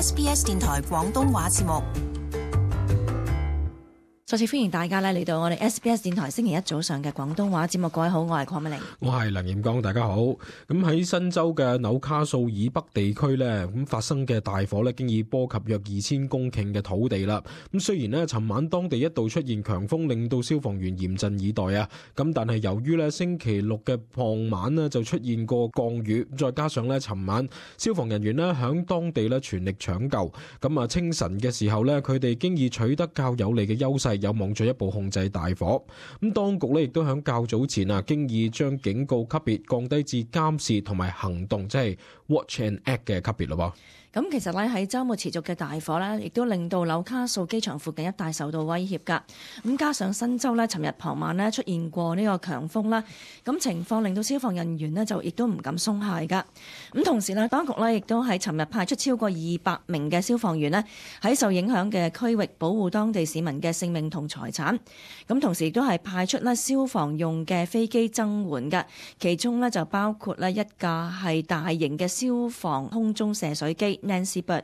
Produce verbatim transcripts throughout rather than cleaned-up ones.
S B S 電台廣東話節目。再次歡迎大家咧嚟到我哋 S B S 電台星期一早上嘅廣東話節目。各位好，我係鄺美玲，我係梁炎剛，大家好。咁喺新州嘅紐卡素以北地區呢，咁發生嘅大火呢，經已波及約二千公頃嘅土地啦。咁雖然呢，尋晚當地一度出現強風，令到消防員嚴陣以待啊。咁但係由於呢星期六嘅傍晚呢就出現過降雨，再加上呢尋晚消防人員呢響當地呢全力搶救，咁啊清晨嘅時候呢，佢哋經已取得較有利嘅優勢，有望進一步控制大火。咁當局咧亦都響較早前啊，經已將警告級別降低至監視同埋行動，即係 Watch and Act 嘅級別咯。咁其實咧喺週末持續嘅大火咧，亦都令到紐卡素機場附近一帶受到威脅㗎。咁加上新州咧，尋日傍晚咧出現過呢個強風啦，咁情況令到消防人員呢就亦都唔敢鬆懈㗎。咁同時呢，當局咧亦都喺尋日派出超過二百名嘅消防員呢喺受影響嘅區域保護當地市民嘅性命同財產。咁同時亦都係派出咧消防用嘅飛機增援㗎，其中呢就包括咧一架係大型嘅消防空中射水機。Nancy Bird。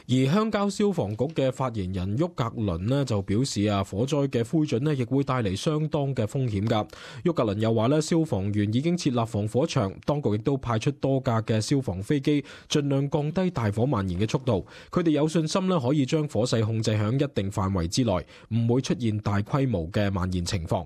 而鄉郊消防局嘅發言人沃格倫呢就表示啊，火災嘅灰燼呢亦會帶嚟相當嘅風險㗎。沃格倫又話呢，消防員已經設立防火牆，當局亦都派出多架嘅消防飛機，盡量降低大火蔓延嘅速度。佢哋有信心呢可以將火勢控制喺一定範圍之內，唔會出現大規模嘅蔓延情況。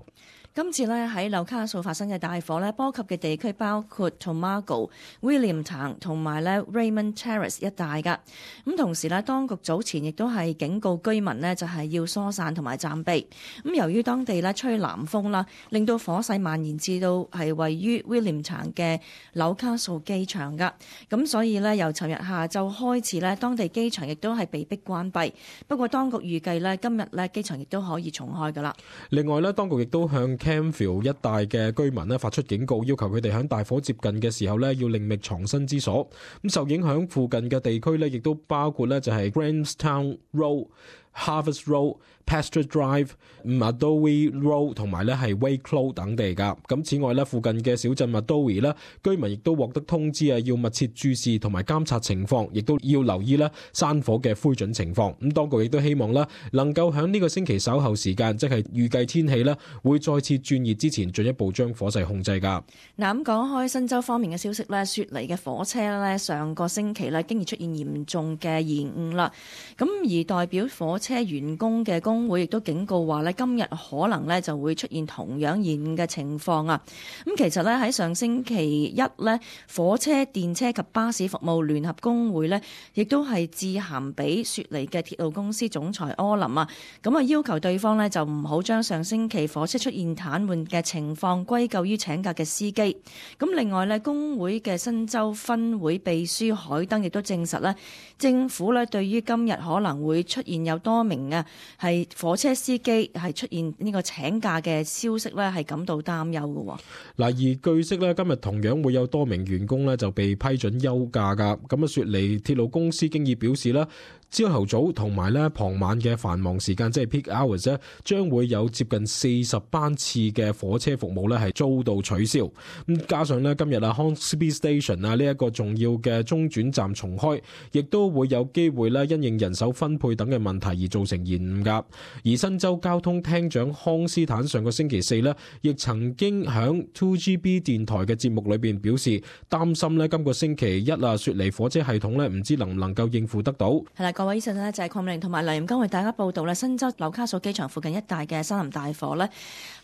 今次咧喺紐卡素發生嘅大火咧，波及嘅地區包括 Tomago、Williamtown 同埋咧 Raymond Terrace 一帶㗎。咁同時咧，當局早前亦都係警告居民呢就係要疏散同埋暫避。咁由於當地咧吹南風啦，令到火勢蔓延至到係位於 Williamtown 嘅紐卡素機場㗎。咁所以咧，由尋日下晝開始咧，當地機場亦都係被迫關閉。不過當局預計咧，今日咧機場亦都可以重開㗎啦。另外咧，當局亦都向 Campville 一帶嘅居民咧發出警告，要求佢哋喺大火接近嘅時候咧要另覓藏身之所。咁受影響附近嘅地區咧，亦都包括咧就係 Grahamstown Road、Harvest Road、Pasture Drive、Madowie Road 同埋咧係 Wakelow 等地噶。咁此外咧，附近嘅小鎮 Madowie 咧，居民亦都獲得通知啊，要密切注視同埋監察情況，亦都要留意咧山火嘅灰燼情況。咁當局亦都希望咧能夠喺呢個星期稍後時間，即係預計天氣咧會再次轉熱之前，進一步將火勢控制噶。嗱，咁講開新州方面嘅消息咧，雪梨嘅火車咧上個星期咧經已出現嚴重嘅延誤啦。咁而代表火車員工嘅工會亦都警告話咧，今日可能咧就會出現同樣延誤嘅情況啊。咁其實咧喺上星期一咧，火車、電車及巴士服務聯合工會咧，亦都係致函俾雪梨嘅鐵路公司總裁柯林啊，咁啊要求對方咧就唔好將上星期火車出現癱瘓嘅情況歸咎於請假嘅司機。咁另外咧，工會嘅新州分會秘書海登亦都證實咧，政府咧對於今日可能會出現有多名啊係火車司機係出現呢個請假嘅消息咧，係感到擔憂嘅。嗱，而據悉咧，今日同樣會有多名員工咧就被批准休假噶。咁啊，雪梨鐵路公司經已表示啦，朝頭早同埋咧傍晚嘅繁忙時間，即係 peak hours 咧，將會有接近四十班次嘅火車服務咧係遭到取消。咁加上咧今日啊 Hornsby Station 啊呢一個重要嘅中轉站重開，亦都會有機會咧因應人手分配等嘅問題而造成延誤噶。而新州交通廳長康斯坦上個星期四咧，亦曾經響 two G B 電台嘅節目裏邊表示，擔心咧今個星期一啊雪梨火車系統咧唔知能唔能夠應付得到。係啦，各位醫生呢就係鄺美玲同埋梁炎剛為大家報道咧，新州紐卡素機場附近一帶嘅森林大火呢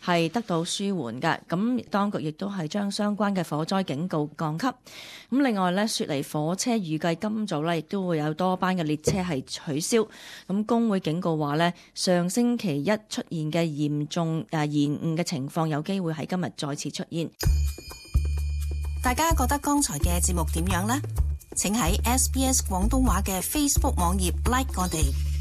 係得到舒緩嘅。咁當局亦都係將相關嘅火災警告降級。咁另外呢，雪梨火車預計今早呢亦都會有多班嘅列車係取消。咁工會警告話呢，上星期一出現嘅嚴重誒延誤嘅情況，有機會喺今日再次出現。大家覺得剛才嘅節目點樣呢？請喺 S B S 廣東話嘅 Facebook 網頁 like 我哋。